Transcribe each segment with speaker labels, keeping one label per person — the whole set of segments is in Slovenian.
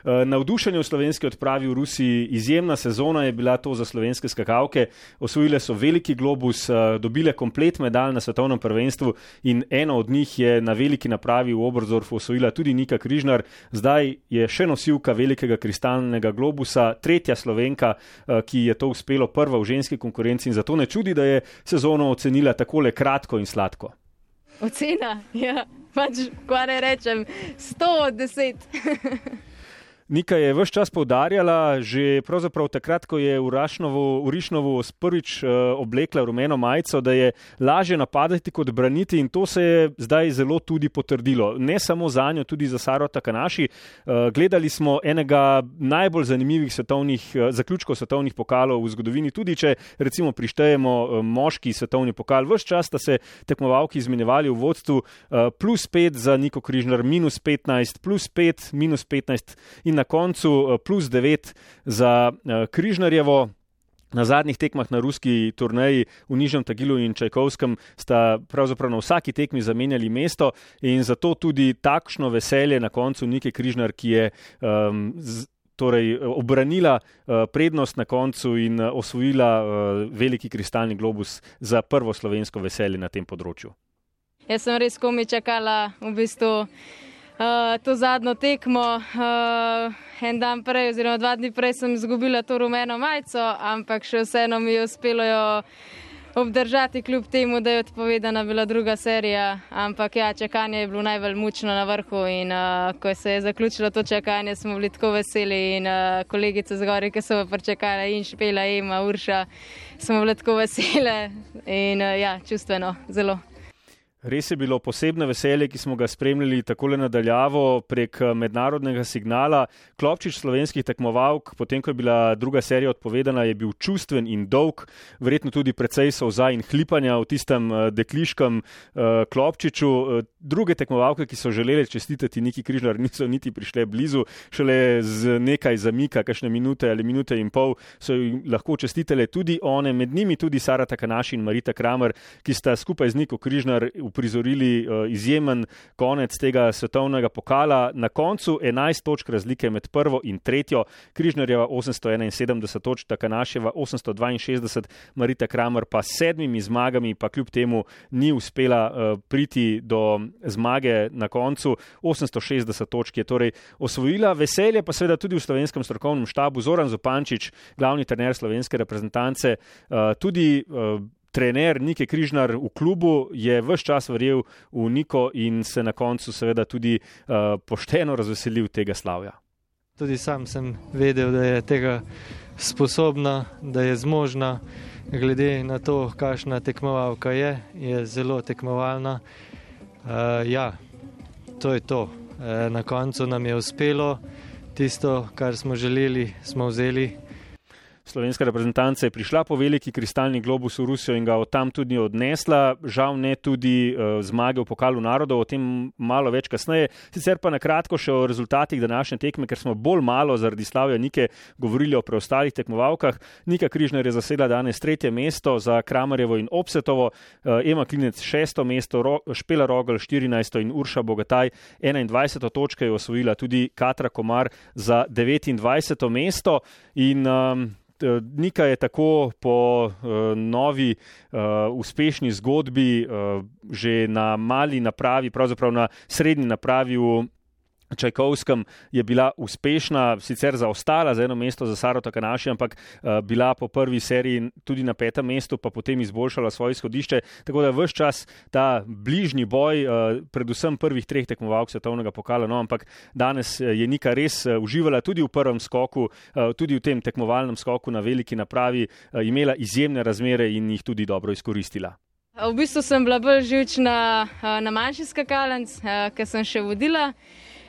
Speaker 1: Navdušenje v slovenski odpravi v Rusiji, izjemna sezona je bila to za slovenske skakalke. Osvojile so veliki globus, dobile komplet medalj na svetovnem prvenstvu in eno od njih je na veliki napravi v Oberstdorfu osvojila tudi Nika Križnar. Zdaj je še nosilka velikega kristalnega globusa, tretja Slovenka, ki je to uspelo, prva v ženski konkurenci, in zato ne čudi, da je sezono ocenila takole kratko in sladko.
Speaker 2: Ocena? Ja, pač, kaj ne rečem, 100 od 10.
Speaker 1: Nika je ves čas poudarjala, že pravzaprav takrat, ko je v Rišnovu prvič oblekla rumeno majico, da je lažje napadati kot braniti, in to se je zdaj zelo tudi potrdilo. Ne samo za njo, tudi za Saro Takanaši. Gledali smo enega najbolj zanimivih zaključkov svetovnih pokalov v zgodovini, tudi če recimo prištejemo moški svetovni pokal. Ves čas sta se tekmovalki izmenjevali v vodstvu, +5 za Niko Križnar, -15, +5, -15 in na koncu +9 za Križnarjevo. Na zadnjih tekmah na ruski turneji v Nižnem Tagilu in Čajkovskem sta pravzaprav na vsaki tekmi zamenjali mesto, in zato tudi takšno veselje na koncu Nike Križnar, ki je obranila prednost na koncu in osvojila veliki kristalni globus za prvo slovensko veselje na tem področju.
Speaker 2: Jaz sem res komaj čakala v bistvu to zadnjo tekmo. En dan prej oziroma 2 dni prej sem izgubila to rumeno majico, ampak še vseeno mi je uspelo jo obdržati, kljub temu, da je odpovedana bila druga serija. Ampak ja, čakanje je bilo najbolj mučno na vrhu, in ko se je zaključilo to čakanje, smo bili tako veseli, in kolegice zgori, ki so pričakale, in Špela, Ema, Urša, smo bili tako vesele in ja, čustveno zelo.
Speaker 1: Res je bilo posebno veselje, ki smo ga spremljali takole nadaljavo prek mednarodnega signala. Klopčič slovenskih tekmovalk, potem ko je bila druga serija odpovedana, je bil čustven in dolg, verjetno tudi precej solza in hlipanja v tistem dekliškem Klopčiču. Druge tekmovalke, ki so želele čestitati Niki Križnar, niso niti prišle blizu, šele z nekaj zamika, kakšne minute ali minute in pol, so jim lahko čestitele tudi one, med njimi tudi Sara Takanaši in Marita Kramer, ki sta skupaj z Niko Križnar uprizorili izjemen konec tega svetovnega pokala. Na koncu 11 točk razlike med prvo in tretjo, Križnarjeva 871 točk, Takanaševa 862, Marita Kramer pa s 7 zmagami, pa kljub temu ni uspela priti do zmage na koncu. 860 točk je torej osvojila. Veselje pa seveda tudi v slovenskem strokovnem štabu. Zoran Zupančič, glavni trener slovenske reprezentance, tudi trener Nike Križnar v klubu, je ves čas verjel v Niko in se na koncu seveda tudi pošteno razveselil tega slavja.
Speaker 3: Tudi sam sem vedel, da je tega sposobna, da je zmožna, glede na to, kakšna tekmovalka je zelo tekmovalna. Ja, to je to. Na koncu nam je uspelo, tisto, kar smo želeli, smo vzeli.
Speaker 1: Slovenska reprezentanca je prišla po veliki kristalni globus v Rusijo in ga od tam tudi odnesla. Žal ne tudi zmage v pokalu narodov, o tem malo več kasneje. Sicer pa na kratko še o rezultatih današnje tekme, ker smo bolj malo zaradi slavja Nike govorili o preostalih tekmovalkah. Nika Križnar je zasedla danes 3. mesto, za Kramarjevo in Opsetovo, Ema Klinec 6. mesto, Špela Rogl 14. in Urša Bogataj 21. točke je osvojila tudi Katra Komar za 29. mesto. In Nika je tako po novi uspešni zgodbi že na mali napravi, pravzaprav na srednji napravi v Čajkovskem je bila uspešna, sicer zaostala za 1 mesto za Saro Takanaši, ampak bila po prvi seriji tudi na 5. mestu, pa potem izboljšala svoje izhodišče. Tako da ves čas ta bližnji boj, predvsem prvih 3 tekmovalk svetovnega pokala, no, ampak danes je Nika res uživala tudi v prvem skoku, tudi v tem tekmovalnem skoku na veliki napravi, imela izjemne razmere in jih tudi dobro izkoristila.
Speaker 2: V bistvu sem bila bolj živčna na manjši skakalnic, ker sem še vodila.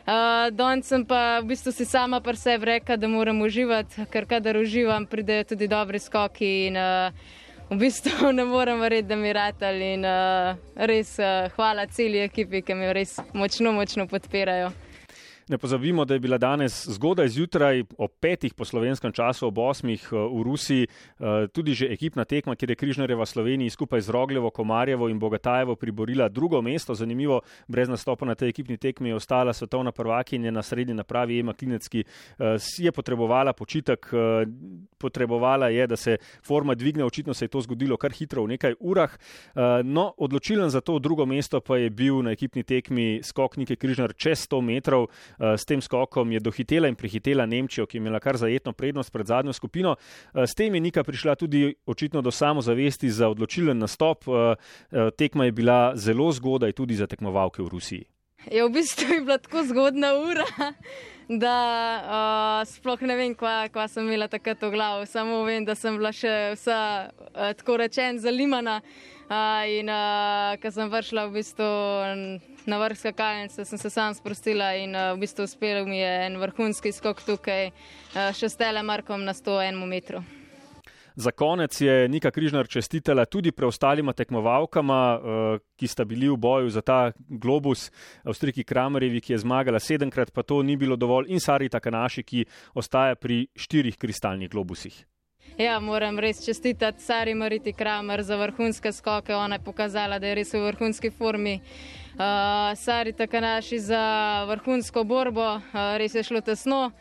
Speaker 2: Danes sem pa v bistvu si sama pri sebi rekla, da moram uživati, ker kadar uživam, pridejo tudi dobri skoki in v bistvu ne morem verjeti, da mi ratali, in res hvala celi ekipi, ki me res močno podpirajo.
Speaker 1: Ne pozabimo, da je bila danes zgodaj zjutraj ob 5 po slovenskem času, ob 8 v Rusiji, tudi že ekipna tekma, kjer je Križnarjeva Sloveniji skupaj z Rogljevo, Komarjevo in Bogatajevo priborila drugo mesto. Zanimivo, brez nastopa na tej ekipni tekmi je ostala svetovna prvakinja na srednji napravi Ema Klinec, ki je potrebovala počitek, potrebovala je, da se forma dvigne, očitno se je to zgodilo kar hitro v nekaj urah. No, odločilen za to drugo mesto pa je bil na ekipni tekmi skok Nike Križnar čez 100 metrov. S tem skokom je dohitela in prehitela Nemčijo, ki je imela kar zajetno prednost pred zadnjo skupino. S tem je Nika prišla tudi očitno do samozavesti za odločilen nastop. Tekma je bila zelo zgodaj tudi za tekmovalke v Rusiji.
Speaker 2: Ja, v bistvu je bila tako zgodna ura, da sploh ne vem, kva sem imela takrat v glavu. Samo vem, da sem bila še vsa, tako rečen, zalimana. In ko sem vršla v bistvu na vrh skakalnice, sem se sam sprostila in v bistvu uspel mi je en vrhunski skok tukaj še s telemarkom na 101 metru.
Speaker 1: Za konec je Nika Križnar čestitala tudi preostalima tekmovalkama, ki sta bili v boju za ta globus, Avstrijki Kramerjevi, ki je zmagala 7-krat, pa to ni bilo dovolj, in Sari Takanaši, ki ostaja pri 4 kristalnih globusih.
Speaker 2: Ja, moram res čestitati Sari Mariti Kramer za vrhunske skoke. Ona je pokazala, da je res v vrhunski formi. Sari Takanaši za vrhunsko borbo, res je šlo tesno.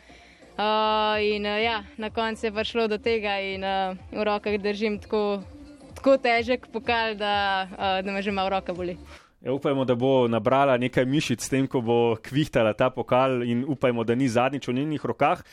Speaker 2: In ja, na koncu je prišlo do tega in v rokah držim tako težek pokal, da me že malo roka boli.
Speaker 1: Ja, upajmo, da bo nabrala nekaj mišic s tem, ko bo kvihtala ta pokal, in upajmo, da ni zadnjič v njenih rokah.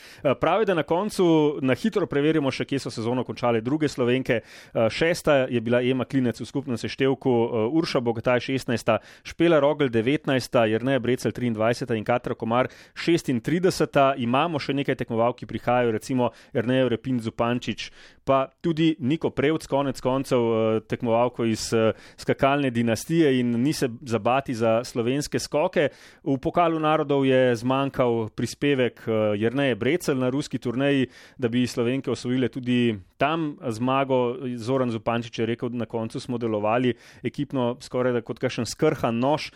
Speaker 1: Pravi, da na koncu na hitro preverimo še, kje so sezono končale druge Slovenke. 6. je bila Ema Klinec v skupnem seštevku, Urša Bogataj 16., Špela Rogl 19., Jerneja Brecelj 23. in Katra Komar 36. Imamo še nekaj tekmovalk, ki prihajajo, recimo Jerneja Repin Zupančič, pa tudi Niko Prevc, konec koncev tekmovalko iz skakalne dinastije, in ni se zabati za slovenske skoke. V pokalu narodov je zmanjkal prispevek Jerneje Brecelj na ruski turneji, da bi Slovenke osvojile tudi tam zmago. Zoran Zupančič je rekel, da na koncu smo delovali ekipno skoraj da kot kakšen skrhan nož.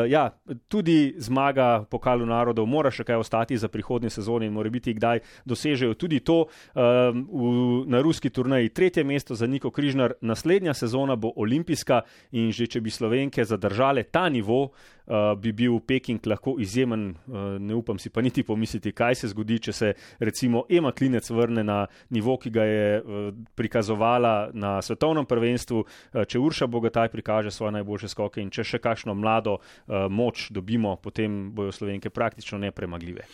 Speaker 1: Ja, tudi zmaga v pokalu narodov mora še kaj ostati za prihodnje sezone in mora biti kdaj dosežejo tudi to. Na ruski turneji 3. mesto za Niko Križnar, naslednja sezona bo olimpijska in že če bi Slovenke zadržale ta nivo, bi bil Peking lahko izjemen. Ne upam si pa niti pomisliti, kaj se zgodi, če se recimo Ema Klinec vrne na nivo, ki ga je prikazovala na svetovnem prvenstvu, če Urša Bogataj prikaže svoje najboljše skoke in če še kakšno mlado moč dobimo, potem bojo Slovenke praktično nepremagljive.